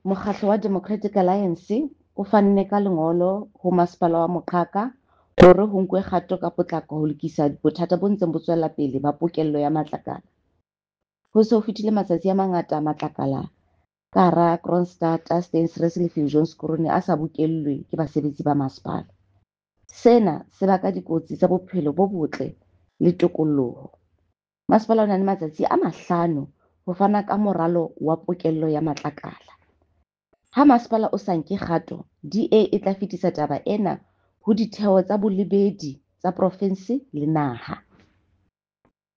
Mokgatlo wa Democratic Alliance o fanne ka lengolo ho Masepala wa Moqhaka hore ho nkuwe kgato ka potlako ho lokisa bothata bo ntseng bo tswela pele ba pokello ya matlakala. Ho se ho fetile matsatsi a mangata matlakala ka hara Kroonstad, Steynsrus le Viljoenskroon a sa bokellwe ke basebetsi ba masepala. Sena se baka dikotsi tsa bophelo bo botle le tokoloho. Masepala o na le matsatsi a 5 ho fana ka moralo wa pokello ya matlakala. Ha masepala o sa nke kgato, DA e tla fetisa taba ena ho ditheo tsa bolebedi tsa profensi le naha.